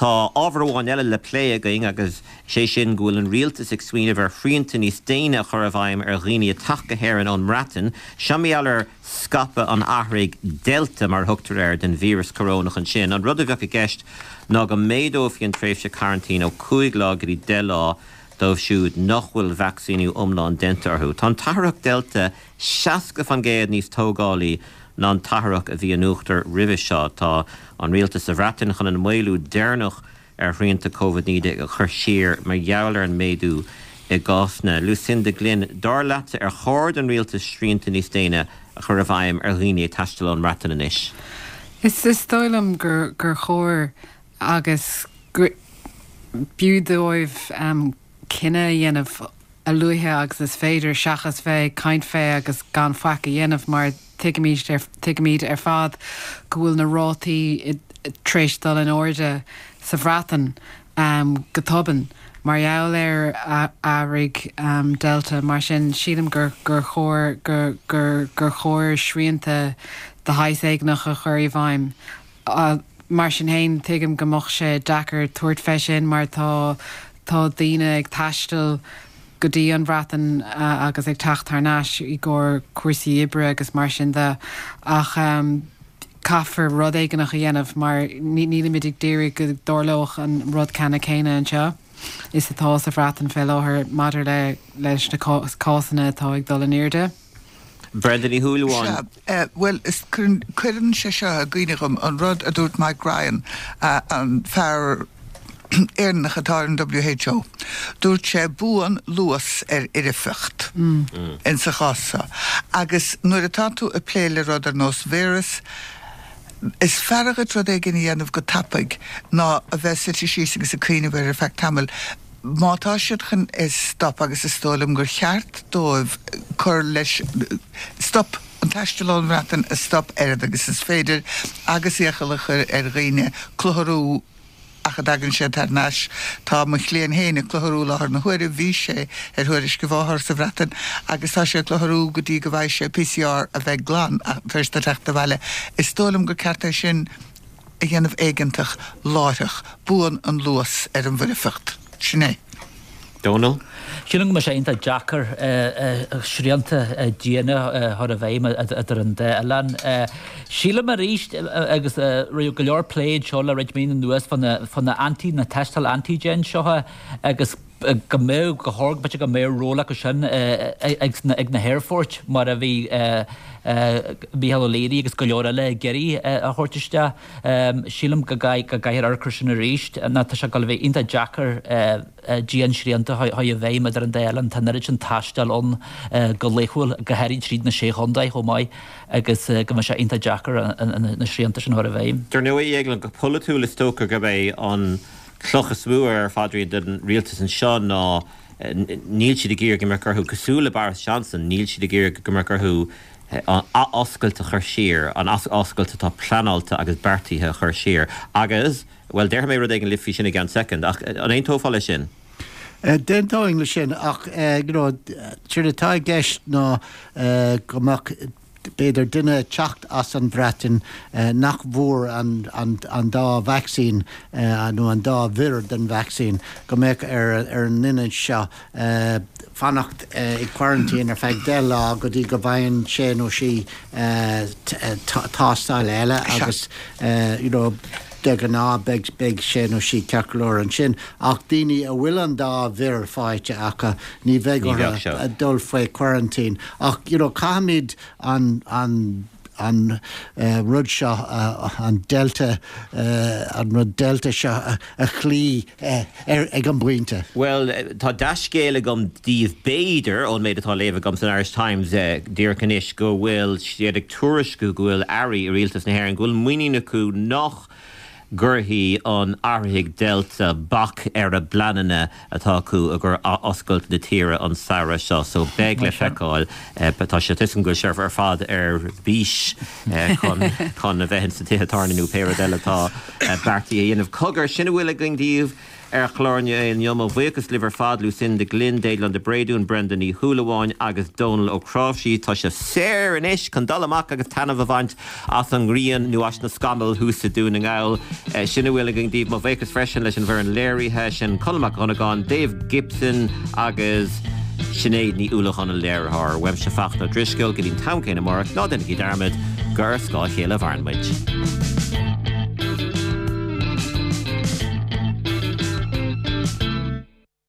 Tá ábhar amháin eile le plé againn agus sé sin go bhfuil an rialtas ag smaoineamh ar shrianta níos déine a chur i bhfeidhm ar dhaoine ag teacht go hÉirinn ón mBreatain. Seo mar gheall ar scaipeadh an athraithigh Delta, mar a thugtar air, den víreas corónach ansin. An rud a bheadh i gceist ná go méadófaí an tréimhse coraintín ó 5 lá go dtí 10 lá dóibh siúd nach bhfuil vacsaíniú iomlán déanta orthu. Tá an t-athraitheach Delta 60% níos tógálaí ná an t-athraitheach a bhí in uachtar roimhe seo. Tá an rialtas sa Bhreatain chun an maolú deireanach ar shrianta Covid-19 a chur siar mar gheall ar an méadú i gcásanna. Lucinda Glynn, dar leatsa ar chóir don rialtas srianta níos déine a chur i bhfeidhm ar dhaoine ag taisteal ón mBreatain anois? Is dóigh liom gur chóir agus b'fhiú dóibh cinneadh a dhéanamh a luaithe agus is féidir seachas bheith ag caint fé agus gan faic a dhéanamh mar tuigimid ar tuigimid ar fad go bhfuil na rátaí tar éis dul in airde sa Bhreatain go tobann mar gheall ar athraigh Delta. Mar sin sílim gur gur chóir gur gur gur chóir srianta de shaghas éigineach a chur i bhfeidhm. Mar sin fhéin, tuigim go mbeadh sé deacair tabhairt fé sin mar tá tá daoine ag taisteal go dtí an Bhreatain agus ag teacht thar n-ais i gcomhair cúrsaí oibre agus mar sin de ach caithfear rud éigineach a dhéanamh mar nílimid ag d'iarraidh go dtarlódh an rud ceanna céanna anseo is atá sa Bhreatain fé láthair maidir le leis na cásanna atá ag dul in airde. Brenda Ní Shúilleabháin. Sea, bhuel, is, cuireann sé seo i gcuimhne dhom an rud a dúirt Mike Ryan, an fear Éireannach atá ar an WHO. Dúirt sé, buann luas ar fhoirfeacht insa chás seo. Agus nuair atá tú ag plé le rud ar nós víreas, is fearr dhuit rud éigin a dhéanamh go tapaidh ná a bheith suite síos agus ag cuimhneamh air ar feadh tamaill. Má tá siad chun é stop, agus is dóigh liom gur cheart dóibh cur leis, stop, an taisteal ón Bhreatain a stop oiread agus is féidir agus iachall a chur ar dhaoine clutharú ach a dtagann siad thar n-ais. Tá mo chliaint féin ag clutharú i láthair na huaire, bhí sé ar thuairisc a mháthar sa Bhreatain agus tá sé ag clutharú go dtí go bhfaighidh sé PCR a bheidh glan tar éis dó teacht abhaile. Is dóigh liom gur ceart é sin. a dhéanamh éigeantach láithreach. Buann an luas ar an bhfoirfeacht. Sin é. Dónall? Sílim go mbeidh sé iontach deacair srianta diana a chur i bhfeidhm idir an dá oileán. Sílim arís, agus raibh go leor plé anseo le roinnt míonna anuas fá na anti, na tástáil antigen seo agus go mbeadh, go chóir, b'fhéidir go mbeadh ról acu sin ag na haerfoirt mar a bhí Micheál Ó Laoire agus go leor eile ag iarraidh a thabhairt isteach. Sílim go gcaithfear amharc air sin arís nó tá sé ag dul a bheith iontach deacair dian-srianta a chur i bhfeidhm idir an dá oileán. Tá an oiread sin taistil ann go laethúil, go háirithe tríd na Sé Chontae chomh maith agus go mbeidh sé iontach deacair na srianta sin a chur i bhfeidhm. Dar ndóigh, go polaitiúil is dócha gurb é an cloch is mó ar a phaidrín don rialtas anseo ná níl siad ag iarraidh go mbeadh orthu, cosúil le Boris Johnson, níl siad ag iarraidh go mbeadh orthu an athoscailt a chur siar, an athoscailt atá pleanáilte agus beartaithe a chur siar. Agus, bhuel, déarfaidh mé rud éigin libh faoi sin i gceann soicind, ach an aontófá leis sin? D'aontóinn leis sin, ach, you know, séard atá i gceist ná go mbeadh, b'fhéidir duine ag teacht as an Bhreatain nach bhfuair an dá vacsaín nó an dá mhír den vacsaín, go mbeadh ar an nduine seo fanacht i quarantine ar feadh 10 lá go dtí go bhfaigheann sé nó sí tástáil eile agus you know de ghnáth beidh beidh sé nó sí ceart go leor ansin. Ach daoine a bhfuil an dá mhír faighte acu, ní bheidh orthu dul faoi quarantine. Ach you know caithfimid an an an rud seo, an Delta, an rud Delta seo a chloí ag an bpointe. Bhuel, tá dea-scéal agam daoibh, b'fhéidir, ón méid atá á léamh agam san Irish Times díreach anois, go bhfuil siad ag tuairisciú go bhfuil airí i rialtas na hÉireann, go bhfuil muinín acu nach gcuirfidh an athraithigh Delta bac ar a bpleananna atá acu i gcomhair athoscailt na tíre an samhradh seo. So beidh le feiceáil. Tá sé tuigim go bhfuil sibh ar fad ar bís chun chun a bheith ins na tithe tábhairne nó pé rud eile atá beartaithe a dhéanamh. Cogar, sin a bhfuil againn daoibh. ar chlár an lae inniu. Mo bhuíochas libh ar fad, Lucinda Glynn, Déaglán de Bréadún, Brenda Ní Shúilleabháin agus Dónal Ó Cnáimhsí. Tá sibh saor anois chun dul amach agus taitneamh a bhaint as an ngrian nó as na scamaill thuas i Dún na nGall. Sin a bhfuil againn daoibh. Mo bhuíochas freisin leis an bhfoireann léirithe, sin Conall Mac Dhonnagáin, Dave Gibson agus Sinéad Ní Uallacháin an léiritheoir. Uaimse Fachtna Ó Drisceoil, go dtí an t-am céanna amárach, ná déanaigí dearmad gur ar scáth a chéile a mhaireann muid.